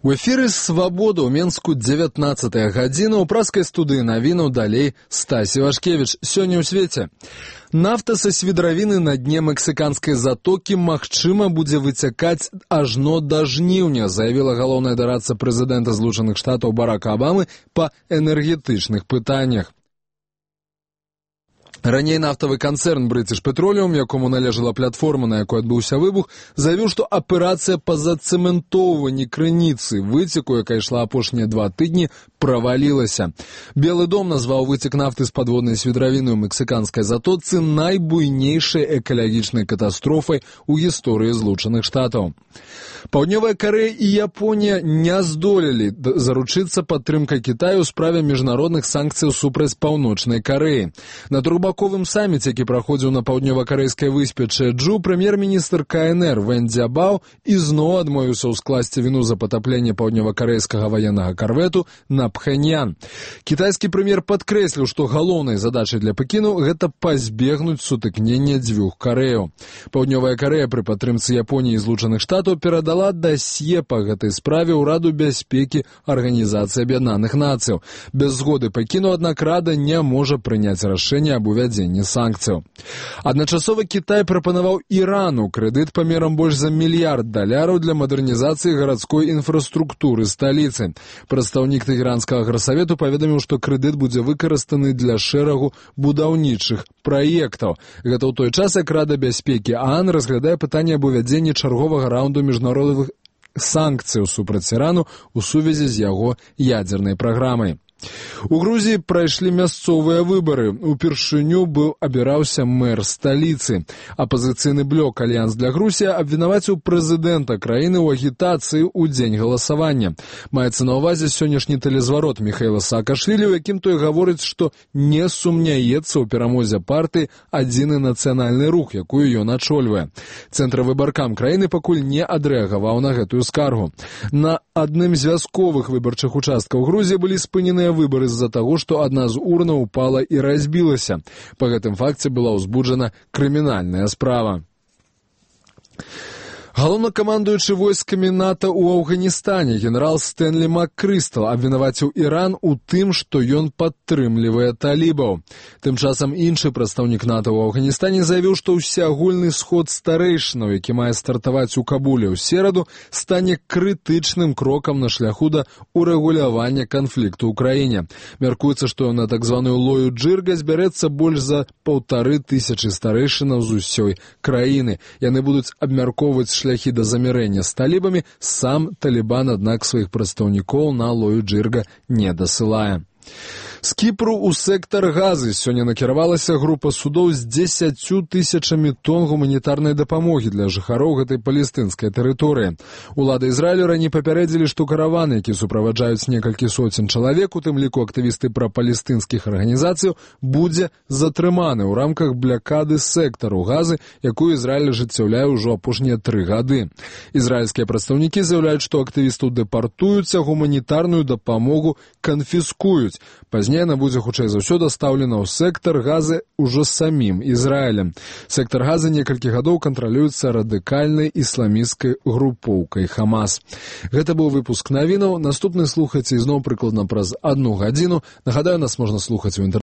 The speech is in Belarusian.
У эфіры «Свабода» ў Менску 19-я гадзіна. У праскай студыі навінаў далей Стасі Вашкевіч. Сёння ў свеце. Нафта са свідравіны на дне мексіканскай затокі магчыма будзе выцякаць ажно да жніўня, заявіла галоўная дарадца прэзідэнта Злучаных Штатаў Барака Абамы па энергетычных пытаннях. Раней нафтавы канцэрн British Petroleum, якому належала платформа, на якой адбыўся выбух, заявіў, што аперацыя па зацэментоўванні крыніцы выцеку, якая ішла апошнія 2 тыдні, правалілася. Белы дом назваў выцек нафты з падводнай свідравіны ў мексіканскай затоцы найбуйнейшай экалагічнай катастрофай у гісторыі Злучаных Штатаў. Паўднёвая Карэя і Японія не здолелі заручыцца падтрымкай Кітаю ў справе міжнародных санкцыяў супраць Паўночнай Карэі. На трохбаковым саміце, які праходзіў на паўднёва-карэйскай выспе Чэджу, прэм'ер-міністр КНР Вэн Дзябао ізноў адмовіўся ўскласці віну за патапленне паўднёва-карэйскага ваеннага карвету на Пхэньян. Кітайскі прэм'ер падкрэсліў, што галоўнай задачай для Пекіну гэта пазбегнуць сутыкнення дзвюх Карэяў. Паўднёвая Карэя пры падтрымцы Японіі і Злучаных Штатаў перадала дасье па гэтай справе ў Раду бяспекі Арганізацыі Аб'яднаных Нацыяў. Без згоды Пекіну, аднак, Рада не можа прыняць рашэнне аб увядзенні санкцыяў. Адначасова Кітай прапанаваў Ірану крэдыт памерам больш за $1 мільярд для мадэрнізацыі гарадской інфраструктуры сталіцы. Прадстаўнік тэхеранскага грасавету паведаміў, што крэдыт будзе выкарыстаны для шэрагу будаўнічых праектаў. Гэта ў той час, як Рада бяспекі ААН разглядае пытанне аб увядзенні чарговага раунду міжнародных санкцыяў супраць Ірану ў сувязі з яго ядзернай праграмай. У Грузіі прайшлі мясцовыя выбары. Упершыню абіраўся мэр сталіцы. Апазіцыйны блок «Альянс для Грузія» абвінаваціў прэзідэнта краіны ў агітацыі ў дзень галасавання. Маецца на ўвазе сённяшні тэлезварот Міхаіла Саакашвілі, у якім той гаворыць, што не сумняецца ў перамозе партыі «Адзіны нацыянальны рух», якую ён ачольвае. Цэнтравыбаркам краіны пакуль не адрэагаваў на гэтую скаргу. На адным з вясковых выбарчых участкаў Грузіі былі спыненыя выборы з-за таго, што адна з урнаў упала і разбілася. Па гэтым факце была ўзбуджана крымінальная справа. Галоўнакамандуючы войскамі НАТО ў Афганістане генерал Стэнлі МакКрыстал абвінаваціў Іран у тым, што ён падтрымлівае талібаў. Тым часам іншы прадстаўнік НАТО ў Афганістане заявіў, што ўсеагульны сход старэйшынаў, які мае стартаваць у Кабуле ў сераду, стане крытычным крокам на шляху да урэгулявання канфлікту ў краіне. Мяркуецца, што на так званую лою Джырга збярэцца больш за 1500 старэйшынаў з усёй краіны. Яны будуць абмяркоўваць шляхі да замірэння з талібамі. Сам Талібан, аднак, сваіх прадстаўнікоў на лою Джырга не дасылае. З Кіпру ў сектар Газы сёння накіравалася група судоў з 10 тысячамі тонн гуманітарнай дапамогі для жыхароў гэтай палестынскай тэрыторыі. Улады Ізраілю раней папярэдзілі, што караваны, які суправаджаюць некалькі соцень чалавек, у тым ліку актывісты прапалестынскіх арганізацыяў, будзе затрыманы ў рамках блякады сектару Газы, якую Ізраіль ажыццяўляе ўжо апошнія 3 гады. Ізраільскія прадстаўнікі заяўляюць, што актывістаў дэпартуюць, а гуманітарную дапамогу канфіскуюць. Пазней яна будзе, хутчэй за ўсё, дастаўлена ў сектар Газы ўжо самім Ізраілем. Сектар Газы некалькі гадоў кантралюецца радыкальнай ісламісцкай групоўкай Хамас. Гэта быў выпуск навінаў. Наступны слухайце ізноў прыкладна праз 1 гадзіну. Нагадаю, нас можна слухаць у інтэрнэце